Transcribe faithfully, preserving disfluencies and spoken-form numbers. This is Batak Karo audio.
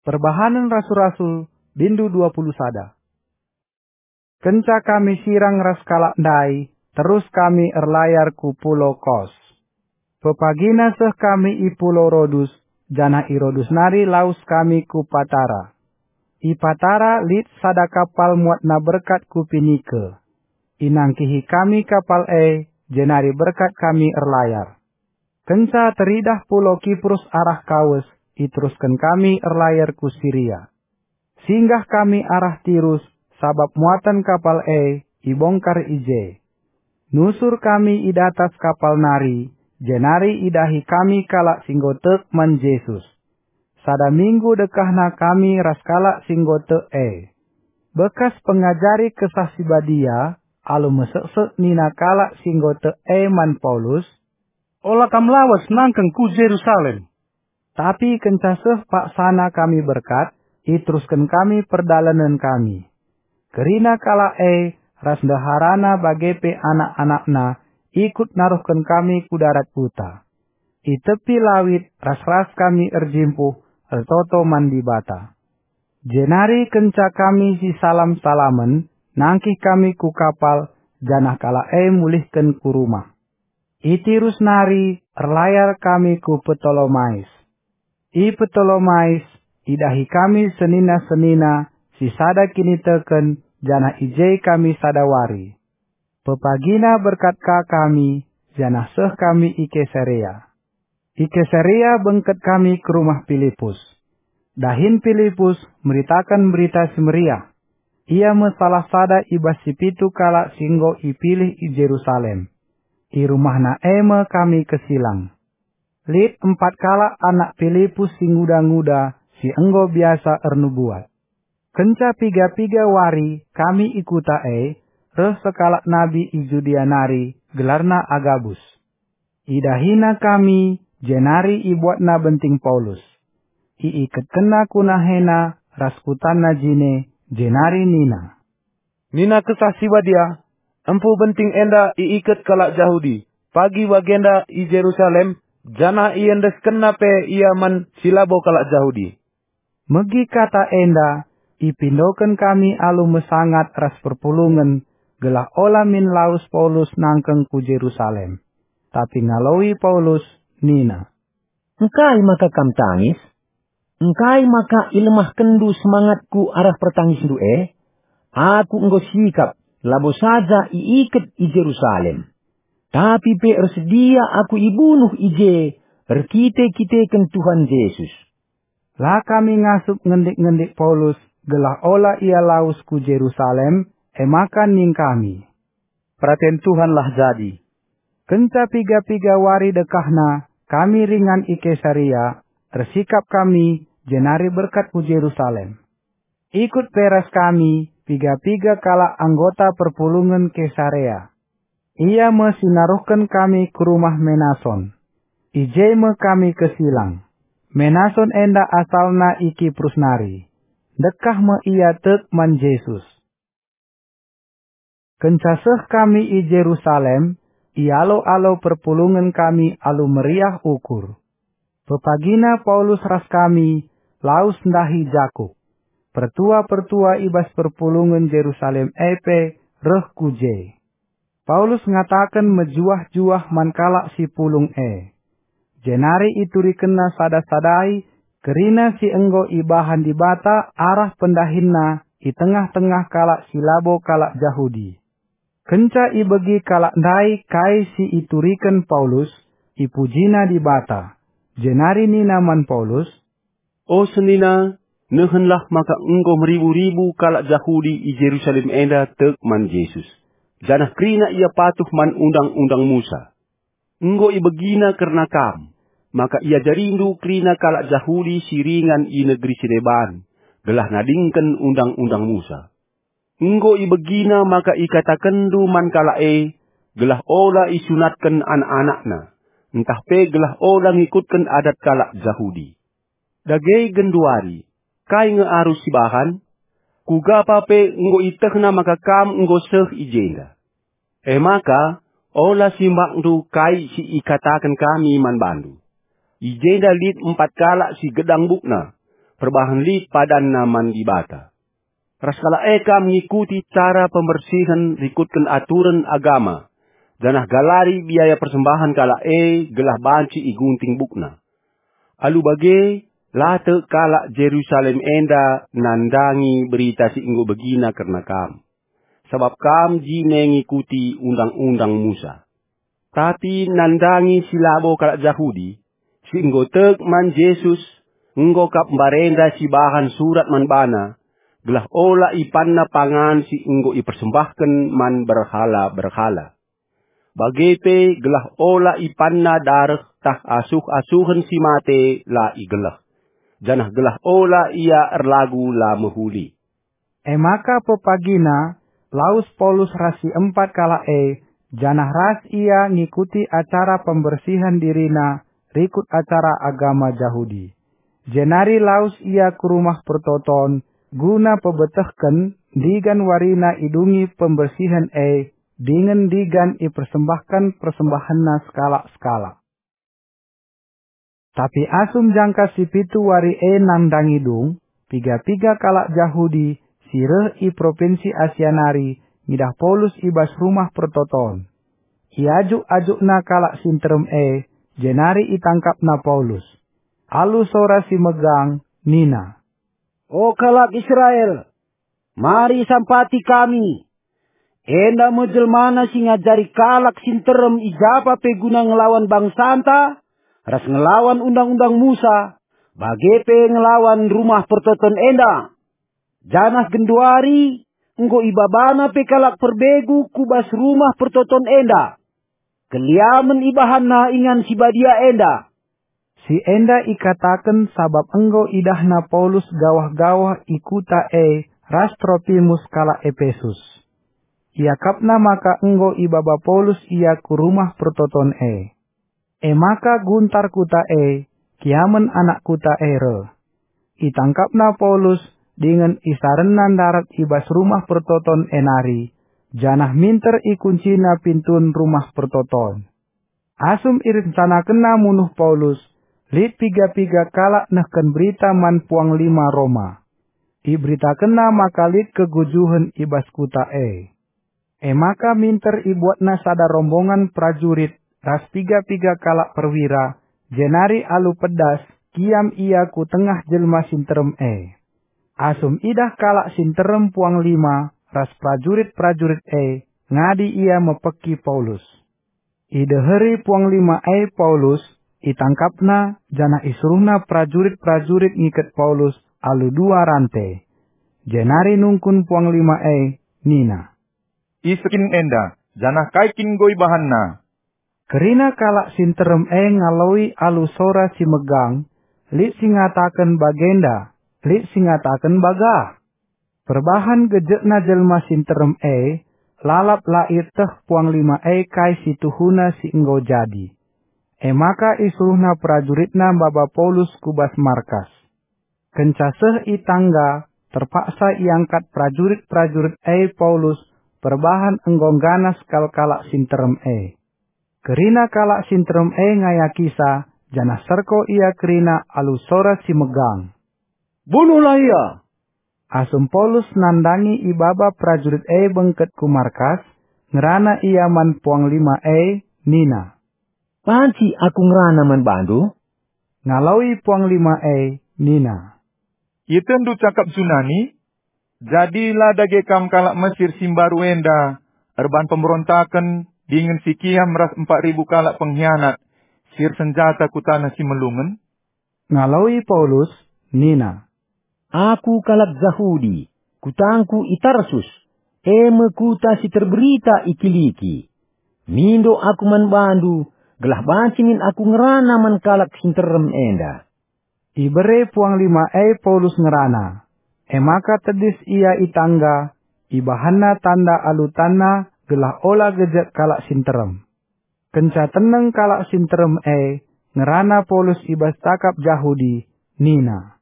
Perbahanen Rasul-Rasul, bindu dua puluh sada. Kenca kami sirang ras kalak ndai, terus kami erlayar ku pulau Kos. Pepagina seh kami i pulau Rodus, janah i Rodus nari lawes kami ku Patara. I Patara lit sada kapal muatna berkat ku Pinike. Inangkihi kami kapal e, jenari berkat kami erlayar. Kenca teridah pulau Kiprus arah Kawes, iterusken kami erlayar ku Siria. Singgah kami arah Tirus, sabap muaten kapal e ibongkar i je. Nusur kami i datas kapal nari, jenari idahi kami kalak si enggo tek man Jesus. Sada minggu dekahna kami ras kalak si enggo tek e. Bekas pengajari Kesah Si Badia, alu meseksek nina kalak si enggo tek e man Paulus, "Ola kam lawes nangkeng ku Jerusalem." Tapi kenca seh paksana kami berkat, iterusken kami perdalanen kami. Kerina kalak e ras ndeharana bage pe anak-anakna ikut naruhken kami ku darat kuta. I tepi lawit ras-ras kami erjimpuh ertoto man Dibata. Jenari kenca kami sisalam-salamen, nangkih kami ku kapal, janah kalak e mulihken ku rumah. I Tirus nari erlayar kami ku Ptolomais. I Ptolomais idahi kami senina-senina si sada kiniteken, janah i je kami sada wari. Pepagina berkat ka kami, janah seh kami i Kesarea. I Kesarea bengket kami ku rumah Pilipus. Dahin Pilipus meritaken Berita Si Meriah. Ia me salah sada i bas si pitu kalak si enggo ipilih i Jerusalem. I rumahna e me kami kesilang. Lit empat kalak anak Pilipus si nguda-nguda si enggo biasa ernubuat. Kenca piga-piga wari kami i kuta e, reh sekalak nabi i Judea nari, gelarna Agabus. Idahina kami, jenari ibuatna benting Paulus. Iiketkenna ku nahena ras kutanna jine, jenari nina, "Nina Kesah Si Badia, 'Empu benting enda iiket kalak Jahudi, pagi bagenda i Jerusalem, janah iendeskenna pe ia man si labo kalak Jahudi.'" Megi kata enda, ipindoken kami alu mesangat ras perpulungen, gelah ola min lawes Paulus nangkeng ku Jerusalem. Tapi ngaloi Paulus nina, "Engkai maka kam tangis? Engkai maka ilemahkenndu semangatku arah pertangisndu e? Aku enggo sikap, labo saja iiket i Jerusalem, tapi pe ersedia aku ibunuh i je erkite-kiteken Tuhan Jesus." La kami ngasup ngendik-ngendik Paulus gelah ola ia lawes ku Jerusalem, e maka ning kami, "Peraten Tuhanlah jadi." Kenca piga-piga wari dekahna, kami ringan i Kesarea, ersikap kami, jenari berkat ku Jerusalem. Ikut pe ras kami piga-piga kalak anggota perpulungen Kesarea. Ia me si naruhken kami ku rumah Menason. I je me kami kesilang. Menason enda asalna i Kiprus nari. Ndekah me ia tek man Jesus. Kenca seh kami i Jerusalem, ialo-alo perpulungen kami alu meriah ukur. Pepagina Paulus ras kami lawes ndahi Jakup. Pertua-pertua i bas perpulungen Jerusalem e pe reh ku je. Paulus ngataken mejuah-juah man kalak si pulung e. Jenari iturikenna sada-sadai kerina si enggo ibahan Dibata arah pendahinna i tengah-tengah kalak si labo kalak Jahudi. Kenca ibegi kalak ndai kai si ituriken Paulus, ipujina Dibata, jenari nina man Paulus, "O senina, nehenlah maka enggo meribu-ribu kalak Jahudi i Jerusalem enda tek man Jesus, janah kerina ia patuh man Undang-undang Musa. Enggo ibegina kerna kam, maka iajarindu kerina kalak Jahudi si ringan i negeri si deban, gelah nadingken Undang-undang Musa. Enggo ibegina maka ikatakenndu man kalak e, gelah ola isunatken anak-anakna, ntah pe gelah ola ngikutken adat kalak Jahudi. Dage genduari, kai nge arus sibahan? Kuga pa pe enggo itehna maka kam enggo seh i jenda. E maka, ola simbakndu kai si ikataken kami man bandu. I jenda lit empat kalak si gedang bukna. perbahan lit padanna man Dibata. Ras kalak e kam ngikuti cara pembersihen rikutken aturen agama, janah galari biaya persembahen kalak e gelah banci igunting bukna. Alu bage, la tek kalak Jerusalem enda nandangi berita si enggo ibegina kerna kam, sabap kam jine ngikuti Undang-undang Musa. Tapi nandangi si labo kalak Jahudi, si enggo tek man Jesus, enggo kap mbarenda sibahan surat man bana, gelah ola ipanna pangan si enggo ipersembahken man berhala-berhala. Bage pe gelah ola ipanna dareh tah asuh-asuhen si mate la igeleh, janah gelah ola ia erlagu la mehuli. E maka pepagina lawes Paulus ras si empat kalak e, janah ras ia ngikuti acara pembersihen dirina rikut acara agama Jahudi. Jenari lawes ia ku Rumah Pertoton guna pebetehken ndigan warina idungi pembersihen e dingen ndigan ipersembahken persembahenna sekalak-sekalak. Tapi asum jangka si pitu wari e nandangi dung, piga-piga kalak Jahudi si reh i propinsi Asia nari ngidah Paulus i bas Rumah Pertoton. Iajuk-ajukna kalak si nterem e, jenari itangkapna Paulus. Alu sora si megang, nina, "O kalak Israel, mari sampati kami! Enda me jelmana si ngajari kalak si nterem i japa pe guna ngelawan bangsanta, ras ngelawan Undang-undang Musa, bage pe ngelawan Rumah Pertoton enda. Janah genduari enggo ibabana pe kalak perbegu ku bas Rumah Pertoton enda. Keliamen ibahanna ingan si badia enda." Si enda ikataken sabap enggo idahna Paulus gawah-gawah i kuta e ras Tropimus kalak Epesus. Iakapna maka enggo ibaba Paulus ia ku Rumah Pertoton e. E maka guntar kuta e, kiamen anak kuta e reh. Itangkapna Paulus dingen isarenna ndarat i bas Rumah Pertoton e nari, janah minter ikuncina pintun Rumah Pertoton. Asum irencanakenna munuh Paulus, lit piga-piga kalak nehken berita man puanglima Roma. Iberitakenna maka lit kegujuhen i bas kuta e. E maka minter ibuatna sada rombongan perajurit ras piga-piga kalak perwira, jenari alu pedas kiam ia ku tengah jelma si nterem e. Asum idah kalak si nterem puanglima ras perajurit-perajurit e, ngadi ia mepeki Paulus. Ideheri puanglima e Paulus, itangkapna, janah isuruhna perajurit-perajurit ngiket Paulus alu dua rante. Jenari nungkun puanglima e, nina, "Ise kin enda, janah kai kin enggo ibahanna?" Kerina kalak si nterem e ngaloi alu sora si megang, lit si ngataken bagenda, lit si ngataken bagah. Perbahan gejekna jelma si nterem e, lalap la ieteh puanglima e kai si tuhuna si enggo jadi. E maka isuruhna perajuritna maba Paulus ku bas markas. Kenca seh i tangga, terpaksa iangkat perajurit-perajurit e Paulus perbahan enggo ngganas kal kalak si nterem e. Kerina kalak si nterem e ngayakisa, janah serko ia kerina alu sora si megang, "Bunuhlah ia!" Asum Paulus nandangi ibaba perajurit e bengket ku markas, ngerana ia man puanglima e, nina, "Banci aku ngerana man bandu?" Ngaloi puanglima e, nina, "Ietehndu cakap Junani? Jadi la dage kam kalak Mesir si mbaru enda erbahan pemberontaken dingen si kiam ras empat ribu kalak penghianat si ersenjata ku taneh si melungen?" Ngaloi Paulus, nina, "Aku kalak Jahudi, kutangku i Tarsus, e me kuta si terberita i Kiliki. Mindo aku man bandu, gelah banci min aku ngerana man kalak si nterem enda." Ibere puanglima e Paulus ngerana. E maka tedis ia i tangga, ibahanna tanda alu tanna gelah ola gejek kalak si nterem. Kenca teneng kalak si nterem e, ngerana Paulus i bas cakap Jahudi, nina,